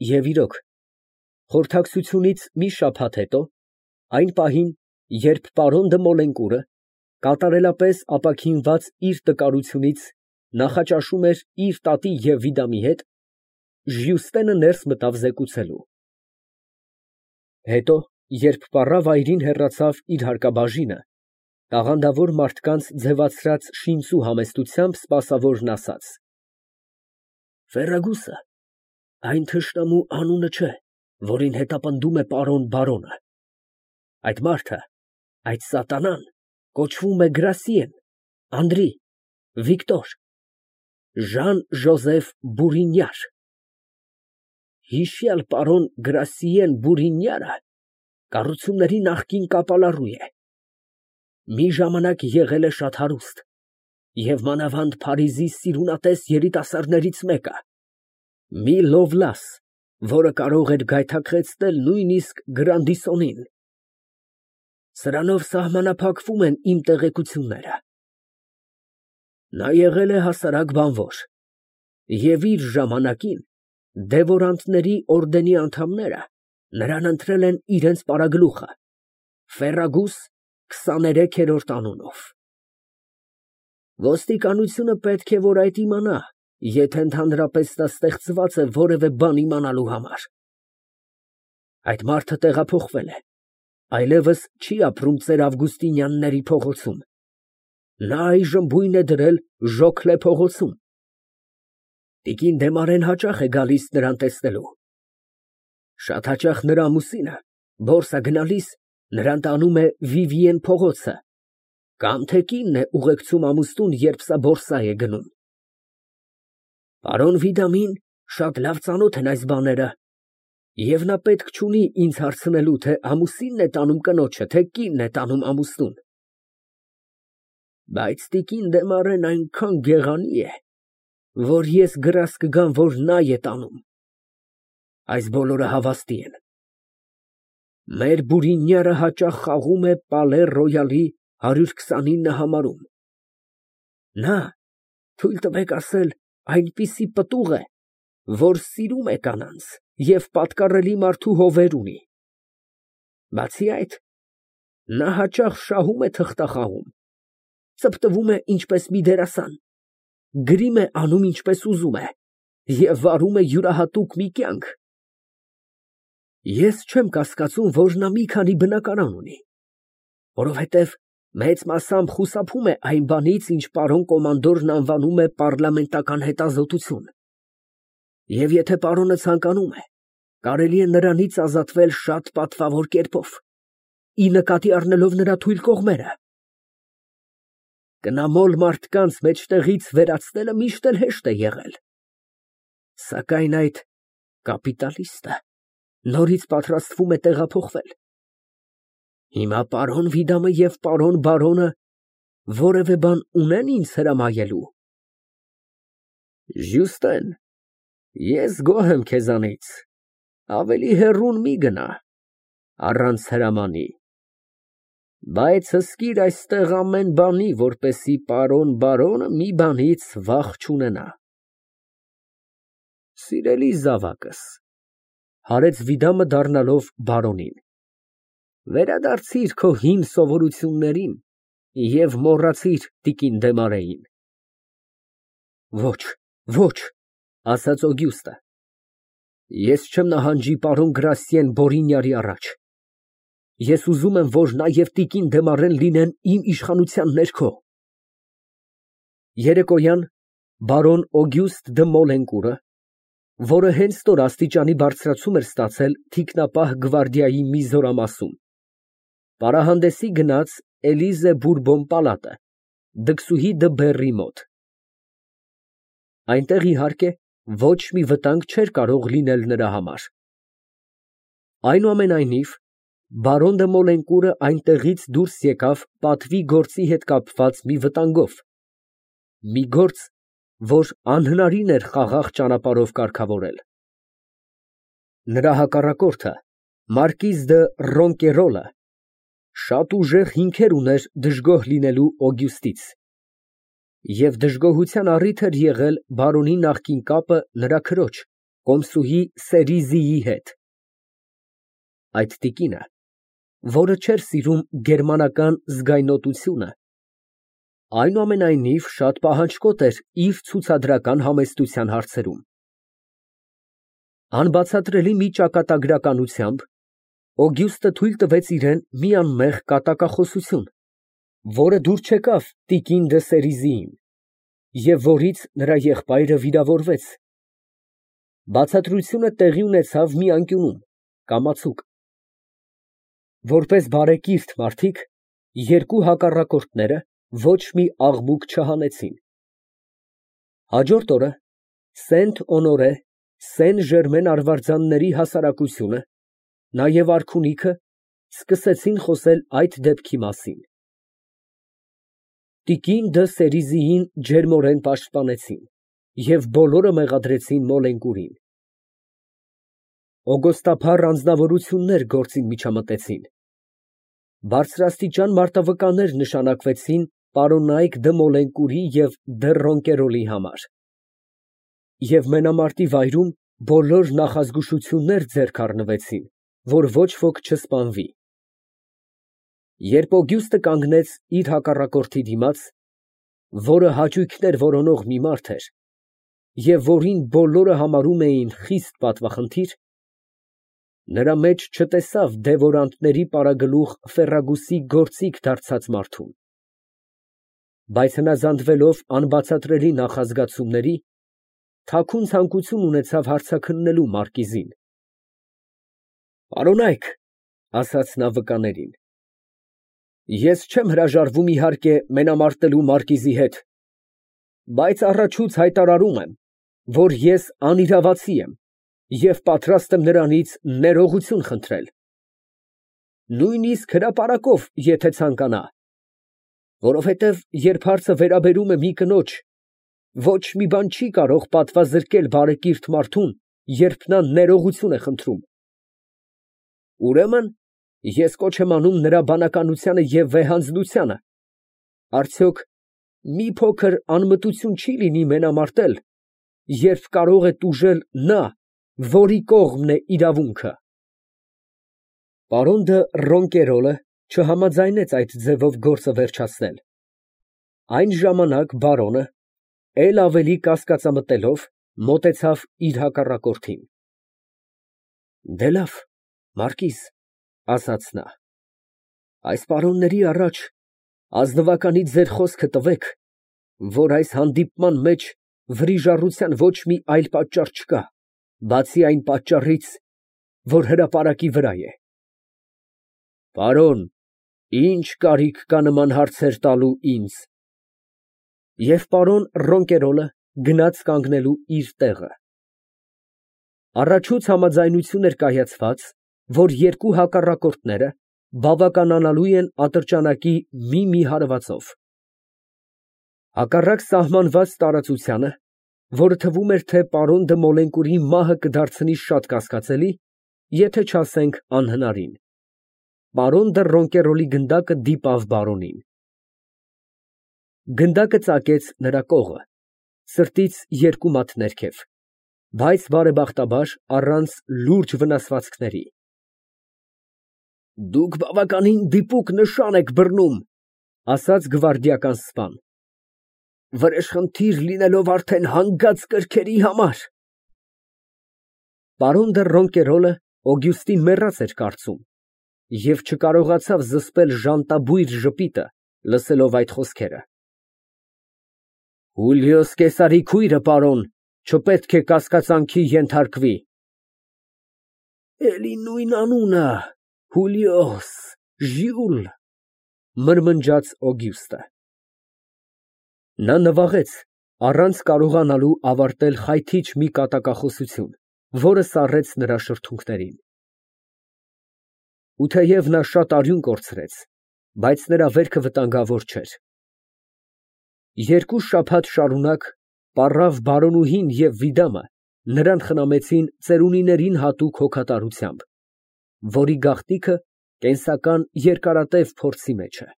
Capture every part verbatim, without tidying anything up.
Եվ իրոք, խորհրդակցությունից մի շաբաթ հետո, այն պահին, երբ պարոն դը Մոլենկուրը, կատարելապես ապաքինված իր տկարությունից, նախաճաշում էր իր տատի և Վիդամի հետ, Ժյուստենը ներս մտավ զեկուցելու։ Հետո, երբ պառավայրին հեռացավ իր հարկաբաժինը, տաղանդավոր մարդկանց ձևացրած շինծու համեստությամբ սպասավորն ասաց. «Ֆերրագուսը այն թշնամու անունը չէ, որին հետապնդում է պարոն բարոնը. այդ մարդը, այդ սատանան կոչվում է Գրասիեն, Անդրի, Վիկտոր, Ժան Ժոզեֆ Բուրինյար։ Հիշյալ պարոն Գրասիեն Բուրինյարը կառուցումների նախկին կապալառու է, մի ժամանակ եղել է շատ հարուստ և մանավանդ Փարիզի սիրունատես երիտասարդներից մեկը, մի Լովլաս, որը կարող էր գայթակղեցնել նույնիսկ Գրանդիսոնին։ Սրանով սահմանափակվում են իմ տեղեկությունները։ Նա եղել է հասարակ բանվոր և իր ժամանակին դևորանտների օրդենի անդամները նրան ընտրել են իրենց պարագլուխը, Ֆերրագուս քսաներեքերորդ անունով։ Ոստիկանությունը պետք է որ այդ իմանա, եթե ընդհանրապես նա ստեղծված է որևէ բան իմանալու համար։ Այդ մարդը տեղափոխվել է, այլևս չի ապրում ծեր Ավգուստինյանների փողոցում, նա այժմ բույն է դրել Ժոքլե փողոցում։ Տիկին Դեմարեն հաճախ է գալիս նրան տեսնելու։ Շատ հաճախ նրա ամուսինը բորսա գնալիս նրան տանում է Վիվիեն փողոցը, կամ թե կինն է ուղեկցում ամուսնուն, երբ սա բորսա է գնում։ Պարոն Վիդամին շատ լավ ծանոթ են այս բաները, և նա պետք չունի ինձ հարցնելու, թե ամուսինն է տանում կնոջը, թե կինն է տանում ամուսնուն։ Բայց տիկին Դեմարեն այնքան գեղանի է, որ ես գրազ կգամ, որ նա է տանում։ Այս բոլորը հավաստի են։ Մեր Բուրինյարը հաճախ խաղում է Պալե Ռոյալի հարյուր քսանինը համարում։ Նա, թույլ տվեք ասել, այնպիսի պտուղ է, որ սիրում է կանանց և պատկառելի մարդու հովեր ունի։ Բացի այդ, նա հաճախ շահում է թղթախաղում, ծպտվում է ինչպես մի դերասան, գրիմ է անում ինչպես ուզում է և վարում է յուրահատուկ մի կյանք։ Ես չեմ կասկածում, որ նա մի քանի բնակարան ունի, որովհետև մեծ մասամբ խուսափում է այն բանից, ինչ պարոն կոմանդորն անվանում է պառլամենտական հետազոտություն, և եթե պարոնը ցանկանում է, կարելի է նրանից ազատվել շատ պատվավոր կերպով, ի նկատի առնելով նրա թույլ կողմերը։ Կնամոլ մարդկանց մեջտեղից վերացնելը միշտ էլ հեշտ է եղել, սակայն այդ կապիտալիստը նորից պատրաստվում է տեղափոխվել։ Հիմա պարոն Վիդամը և պարոն բարոնը որևէ բան ունե՞ն ինձ հրամայելու։ Ժյուստեն, ես գոհ եմ քեզանից, ավելի հեռուն մի գնա, առանց հրամանի, բայց հսկիր այստեղ ամեն բանի, որպեսզի պարոն բարոնը մի բանից վախ չունենա։ Սիրելի զավակս, հարեց Վիդամը դառնալով բարոնին, վերադարձիր քո հին սովորություններին և մոռացիր տիկին Դեմարեին։ Ոչ, ոչ, ասաց Օգյուստը, ես չեմ նահանջի պարոն Գրասիեն Բորինյարի առաջ։ Ես ուզում եմ, որ նա և տիկին Դեմարեն լինեն իմ իշխանության ներքո։ Երեկոյան բարոն Օգյուստը դը Մոլենկուրը, որը հենց նոր աստիճանի բարձրացում էր ստացել թիկնապահ գվարդիայի մի զորամասում, պարահանդեսի գնաց Էլիզե Բուրբոն պալատը, դքսուհի դը Բեռի մոտ։ Այնտեղ, իհարկե, ոչ մի վտանգ չէր կարող լինել նրա համար։ Այնուամենայնիվ, բարոն դը Մոլենկուրը այնտեղից դուրս եկավ պատվի գործի հետ կապված մի վտանգով, մի գործ, որ անհնարին էր խաղաղ ճանապարհով կարգավորել։ Նրա հակառակորդը, մարկիզ դը Ռոնկերոլը, շատ ուժեղ հիմքեր ուներ դժգոհ լինելու Օգյուստից, և դժգոհության առիթ էր եղել բարոնի նախկին կապը նրա քրոջ, Կոմսուհի Սերիզիի հետ։ Այդ տիկինը, որը չէր սիրում գերմանական զգայնոտությունը, այնուամենայնիվ շատ պահանջկոտ էր իր ցուցադրական համեստության հարցերում։ Անբացատրելի մի ճակատագրականությամբ Օգյուստը թույլ տվեց իրան մի անմեղ կատակախոսություն, որը դուր չեկավ տիկին դը Սերիզիին, և որից նրա եղբայրը վիրավորվեց։ Բացատրությունը տեղի ունեցավ մի անկյունում, կամացուկ։ Որպես բարեկիրթ մարդիկ, երկու հակառակորդները ոչ մի աղմուկ չհանեցին։ Հաջորդ օրը Սենտ Օնորե Սեն Ժերմեն արվարձանների հասարակությունը, նաև արքունիքը, սկսեցին խոսել այդ դեպքի մասին։ Տիկին դը Սերիզիին ջերմորեն պաշտպանեցին և բոլորը մեղադրեցին Մոլենկուրին։ Օգոստափառ անձնավորություններ գործին միջամտեցին։ Բարձրաստիճան մարտավկաններ նշանակվեցին պարոնայք դը Մոլենկուրի և դը Ռոնկերոլի համար, և մենամարտի վայրում բոլոր նախազգուշություններ ձեռք առնվեցին, որ ոչ ոք չսպանվի։ Երբ Օգյուստը կանգնեց իր հակառակորդի դիմաց, որը հաճույքներ որոնող մի մարդ էր, և որին բոլորը համարում էին խիստ պատվախնդիր, նրա մեջ չտեսավ դևորանտների պարագլուխ Ֆերրագուսի գործիք դարձած մարդուն, բայց հնազանդվելով անբացատրելի նախազգացումների, թաքուն ցանկություն ունեցավ հարցաքննելու մարկիզին։ Պարոնայք, ասաց նա վկաներին, ես չեմ հրաժարվում իհարկե մենամարտելու մարկիզի հետ, բայց առաջուց հայտարարում եմ, որ ես անիրավացի եմ և պատրաստ եմ նրանից ներողություն խնդրել, նույնիսկ հրապարակով, եթե ցանկանա, որովհետև երբ հարցը վերաբերում է մի կնոջ, ոչ մի բան չի կարող պատվազրկել բարեկիրթ մարդուն, երբ նա ներողություն է խնդրում։ Ուրեմն ես կոչ եմ անում նրա բանականությանը և վեհանձնությանը, արդյոք մի փոքր անմտություն չի լինի մենամարտել, երբ կարող է տուժել նա, որի կողմն է իրավունքը։ Պարոն դը Ռոնկերոլը չհամաձայնեց այդ ձևով գործը վերջացնել։ Այն ժամանակ բարոնը, էլ ավելի կասկածամտելով, մոտեցավ իր հակառակորդին։ Դե լավ, մարկիզ, ասաց նա, այս պարոնների առաջ ազնվականից ձեր խոսքը տվեք, որ այս հանդիպման մեջ վրիժառության ոչ մի այլ պատճառ չկա, բացի այն պատճառից, որ հրապարակի վրա է։ Պարոն, ի՞նչ կարիք կա նման հարցեր տալու ինձ։ Եվ պարոն Ռոնկերոլը գնաց կանգնելու իր տեղը։ Առաջուց համաձայնություն էր կայացված, որ երկու հակառակորդները բավականանալու են ատրճանակի մի֊մի հարվածով։ Հակառակ սահմանված տարածությանը, որը թվում էր, թե պարոն դը Մոլենկուրի մահը կդարձնի շատ կասկածելի, եթե չասենք անհնարին, պարոն դը Ռոնկերոլի գնդակը դիպավ բարոնին։ Գնդակը ծակեց նրա կողը, սրտից երկու մատ ներքև, բայց բարեբախտաբար առանց լուրջ վնասվածքների։ Դուք բավականին դիպուկ նշան եք բռնում, ասաց գվարդիական սպան, վրեժխնդիր լինելով արդեն հանգած կրքերի համար։ Պարոն դը Ռոնկերոլը Օգյուստին մեռած էր կարծում և չկարողացավ զսպել ժանտաբույր ժպիտը, լսելով այդ խոսքերը։ Հուլիոս Կեսարի քույրը, պարոն, չպետք է կասկածանքի ենթարկվի։ Էլի նույն անունը, Հուլիոս, Ժյուլ, մրմնջաց Օգյուստը։ Նա նվաղեց, առանց կարողանալու ավարտել խայթիչ մի կատակախոսություն, որը սառեց նրա շրթունքներին։ Ու թեև նա շատ արյուն կորցրեց, բայց նրա վերքը վտանգավոր չէր։ Երկու շաբաթ շարունակ պառավ բարոնուհին և Վիդամը նրան խնամեցին ծերունիներին հատուկ հոգատարությամբ, որի գաղտնիքը կենսական երկարատև փորձի մեջ է։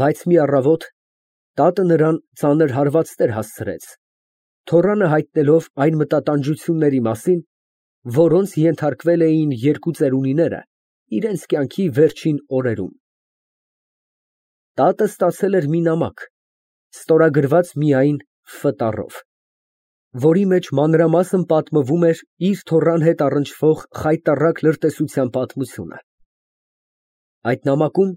Բայց մի առավոտ տատը նրան ծանր հարվածներ հասցրեց, թոռանը հայտնելով այն մտատանջությունների մասին, որոնց ենթարկվել էին երկու ծերունիները իրենց կյանքի վերջին օրերում։ Տատը ստացել էր մի նամակ, ստորագրված միայն Ֆ տառով, որի մեջ մանրամասն պատմվում էր իր թոռան հետ առնչվող խայտառակ լրտեսության պատմությունը։ Այդ նամակում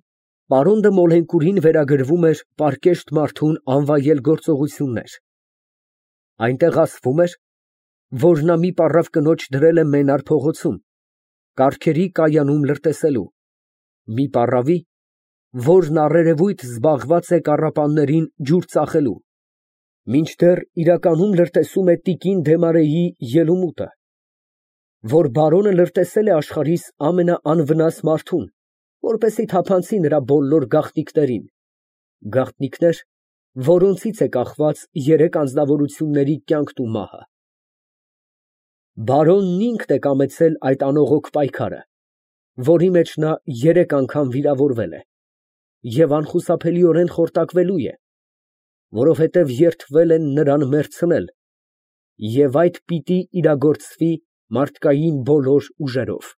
պարոն դը Մոլենկուրին վերագրվում էր պարկեշտ մարդուն անվայել գործողություններ։ Այնտեղ ասվում էր, որ նա մի պառավ կնոջ դրել է Մենար փողոցում, կառքերի կայանում լրտեսելու, մի պառավի, որն առերևույթ զբաղված է կառապաններին ջուր ծախելու, մինչդեռ իրականում լրտեսում է տիկին Դեմարեի ելումուտը, որ բարոնը լրտեսել է աշխարհիս ամենաանվնաս մարդուն, որպեսզի թափանցի նրա բոլոր գաղտնիքներին, գաղտնիքներ, որոնցից է կախված երեք անձնավորությունների կյանքն ու մահը։ Բարոնն ինքն է կամեցել այդ անողոք պայքարը, որի մեջ նա երեք անգամ վիրավորվել է և անխուսափելիորեն խորտակվելու է, որովհետև երդվել են նրան մեռցնել, և այդ պիտի իրագործվի մարդկային բոլոր ուժերով։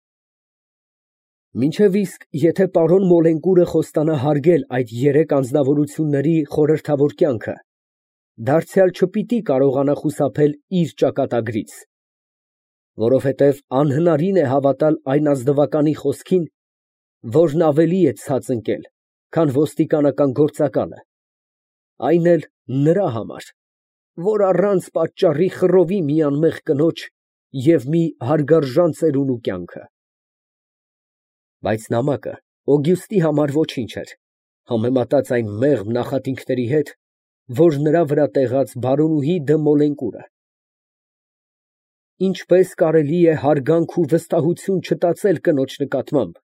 Մինչև իսկ եթե պարոն Մոլենկուրը խոստանա հարգել այդ երեք անձնավորությունների խորհրդավոր կյանքը, դարձյալ չպիտի կարողանա խուսափել իր ճակատագրից, որովհետև անհնարին է հավատալ այն ազնվականի խոսքին, որն ավելի է ցած ընկել, քան ոստիկանական գործակալը, այն էլ նրա համար, որ առանց պատճառի խռովի մի անմեղ կնոջ և մի հարգարժան ծերունու կյանքը։ Բայց նամակը Օգյուստի համար ոչինչ էր, համեմատած այն մեղմ նախատինքների հետ, որ նրա վրա տեղաց բարոնուհի դը Մոլենկուրը։ Ինչպես կարելի է հարգանք ու վստահություն չտածել կնոջ նկատմամբ,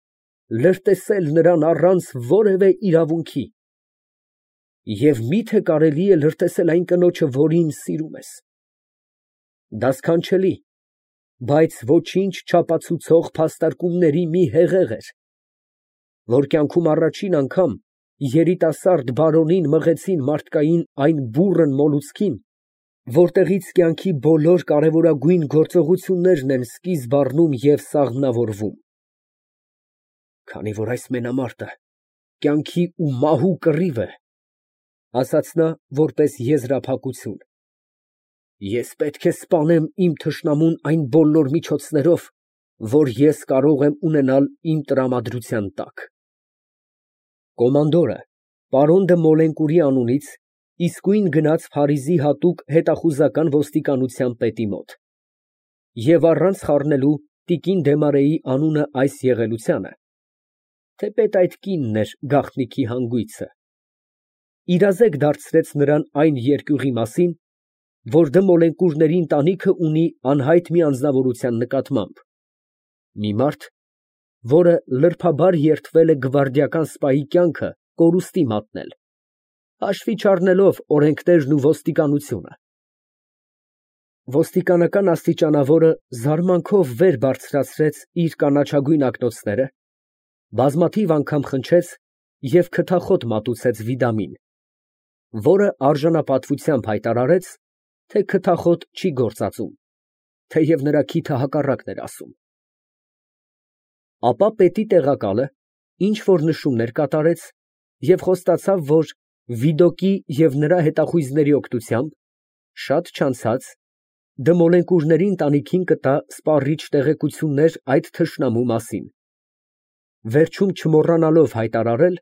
լրտեսել նրան առանց որևէ իրավունքի, և մի՞թե կարելի է լրտեսել այն կնոջը, որին սիրում ես։ Դա սքանչելի, բայց ոչինչ չապացուցող փաստարկումների մի հեղեղ էր, որ կյանքում առաջին անգամ երիտասարդ բարոնին մղեցին մարդկային այն բուռն մոլուցքին, որտեղից կյանքի բոլոր կարևորագույն գործողություններն են սկիզբ առնում և սաղմնավորվում։ Քանի որ այս մենամարտը կյանքի ու մահու կռիվ է, ասաց նա որպես եզրափակություն, ես պետք է սպանեմ իմ թշնամուն այն բոլոր միջոցներով, որ ես կարող եմ ունենալ իմ տրամադրության տակ։ Կոմանդորը պարոն դը Մոլենկուրի անունից իսկույն գնաց Փարիզի հատուկ հետախուզական ոստիկանության պետի մոտ և առանց խառնելու տիկին Դեմարեի անունը այս եղելությանը, թեպետ այդ կինն էր գաղտնիքի հանգույցը, իրազեկ դարձրեց նրան այն երկյուղի մասին, որ դը Մոլենկուրների ընտանիքը ունի անհայտ մի անձնավորության նկատմամբ, մի մարդ, որը լրբաբար երդվել է գվարդիական սպայի կյանքը կորուստի մատնել, հաշվի չառնելով օրենքներն ու ոստիկանությունը։ Ոստիկանական աստիճանավորը զարմանքով վեր բարձրացրեց իր կանաչագույն ակնոցները, բազմաթիվ անգամ խնջեց և քթախոտ մատուցեց Վիդամին, որը արժանապատվությամբ հայտարարեց, թե քթախոտ չի գործածում, թեև նրա քիթը հակառակն էր ասում։ Ապա պետի տեղակալը ինչ֊որ նշումներ կատարեց և խոստացավ, որ Վիդոկի և նրա հետախույզների օգնությամբ շատ չանցած դը Մոլենկուրների ընտանիքին կտա սպառիչ տեղեկություններ այդ թշնամու մասին, վերջում չմոռանալով հայտարարել,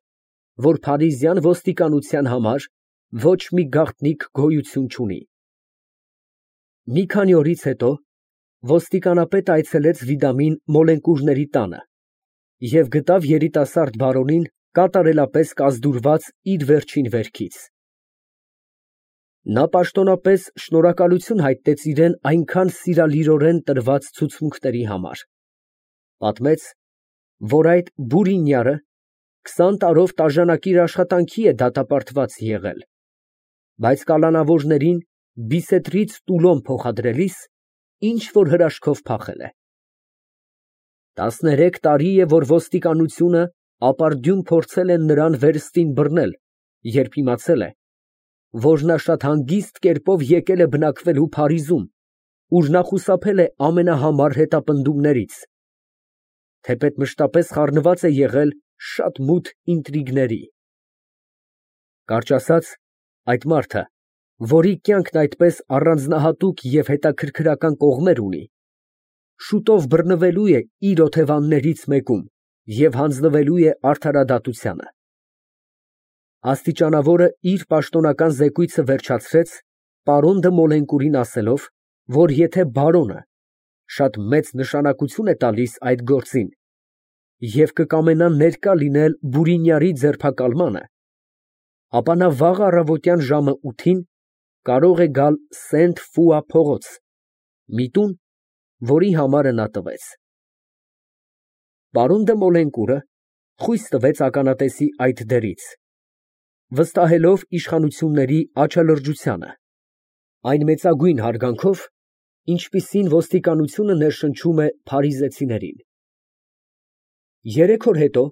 որ փարիզյան ոստիկանության համար ոչ մի գաղտնիք գոյություն չունի։ Մի քանի օրից հետո ոստիկանապետը այցելեց Վիդամին Մոլենկուրների տանը և գտավ երիտասարդ բարոնին կատարելապես կազդուրված իր վերջին վերքից։ Նա պաշտոնապես շնորհակալություն հայտնեց իրան այնքան սիրալիրորեն տրված ցուցմունքների համար, պատմեց, որ այդ բուրինյարը քսան տարով տաժանակիր աշխատանքի է դատապարտված եղել, բայց կալանավորներին Բիսետրից Տուլոն փոխադրելիս ինչ֊որ հրաշքով փախել է։ Տասներեք տարի է, որ ոստիկանությունը ապարդյուն փորձել է նրան վերստին բռնել, երբ իմացել է, որ նա շատ հանգիստ կերպով եկել է բնակվելու Փարիզում, ուր նա խուսափել է ամենահամար հետապնդումներից, թեպետ մշտապես խառնված է եղել շատ մութ ինտրիգների։ Կարճ ասած, այդ մարդը, որի կյանքն այդպես առանձնահատուկ և հետաքրքրական կողմեր ունի, շուտով բռնվելու է իր օթևաններից մեկում և հանձնվելու է արդարադատությանը։ Աստիճանավորը իր պաշտոնական զեկույցը վերջացրեց պարոն դը Մոլենկուրին ասելով, որ եթե բարոնը շատ մեծ նշանակություն է տալիս այդ գործին և կկամենա ներկա լինել Բուրինյարի ձերբակալմանը, ապա նա վաղ առավոտյան ժամը ութին կարող է գալ Սենտ֊Ֆուա փողոց, մի տուն, որի համարը նա տվեց։ Պարոն դը Մոլենկուրը խույս տվեց ականատեսի այդ դերից, վստահելով իշխանությունների աչալրջությանը, այն մեծագույն հարգանքով, ինչպիսին ոստիկանությունը ներշնչում է փարիզեցիներին։ Երեք օր հետո,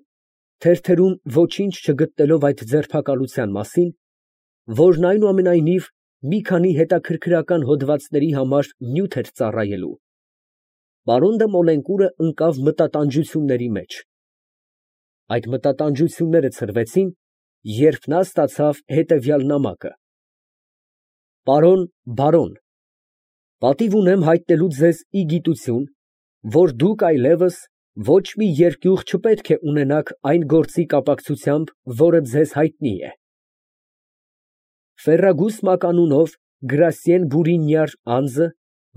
թերթերում ոչինչ չգտնելով այդ ձերբակալության մասին, որն այնուամենայնիվ մի քանի հետաքրքրական հոդվածների համար նյութ էր ծառայելու, պարոն դը Մոլենկուրը ընկավ մտատանջությունների մեջ։ Այդ մտատանջությունները ցրվեցին, երբ նա ստացավ հետևյալ նամակը. Պարոն բարոն, պատիվ ունեմ հայտնելու ձեզ ի գիտություն, որ դուք այլևս ոչ մի երկյուղ չպետք է ունենաք այն գործի կապակցությամբ, որը ձեզ հայտնի է։ Ֆերրագուս մականունով Գրասիեն Բուրինյար անձը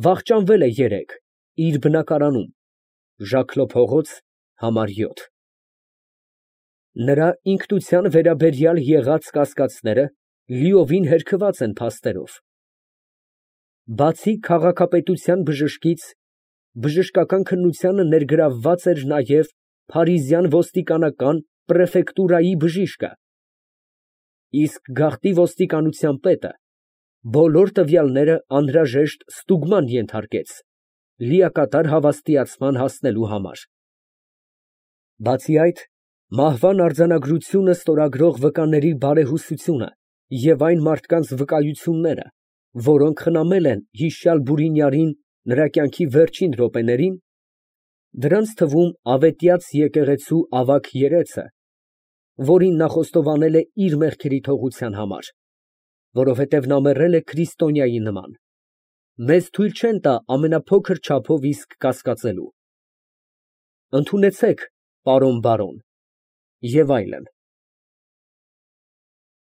վախճանվել է երեկ իր բնակարանում, Ժակլո փողոց, համար յոթ։ Նրա ինքնության վերաբերյալ եղած կասկածները լիովին հերքված են փաստերով։ Բացի քաղաքապետության բժշկից, բժշկական քննությանը ներգրավված էր նաև փարիզյան ոստիկանական պրեֆեկտուրայի բժիշկը, իսկ գաղտնի ոստիկանության պետը բոլոր տվյալները անհրաժեշտ ստուգման ենթարկեց լիակատար հավաստիացման հասնելու համար։ Բացի այդ, մահվան արձանագրությունը ստորագրող վկաների բարեհուսությունը և այն մարդկանց վկայությունները, որոնք խնամել են հիշյալ Բուրինյարին նրա կյանքի վերջին րոպեներին, դրանց թվում ավետյաց եկեղեցու ավագ երեցը, որին նա խոստովանել է իր մեղքերի թողության համար, որովհետև նա մեռել է քրիստոնյայի նման, մեզ թույլ չեն տա ամենափոքր չափով իսկ կասկածելու։ Ընդունեցեք, պարոն բարոն, և այլն։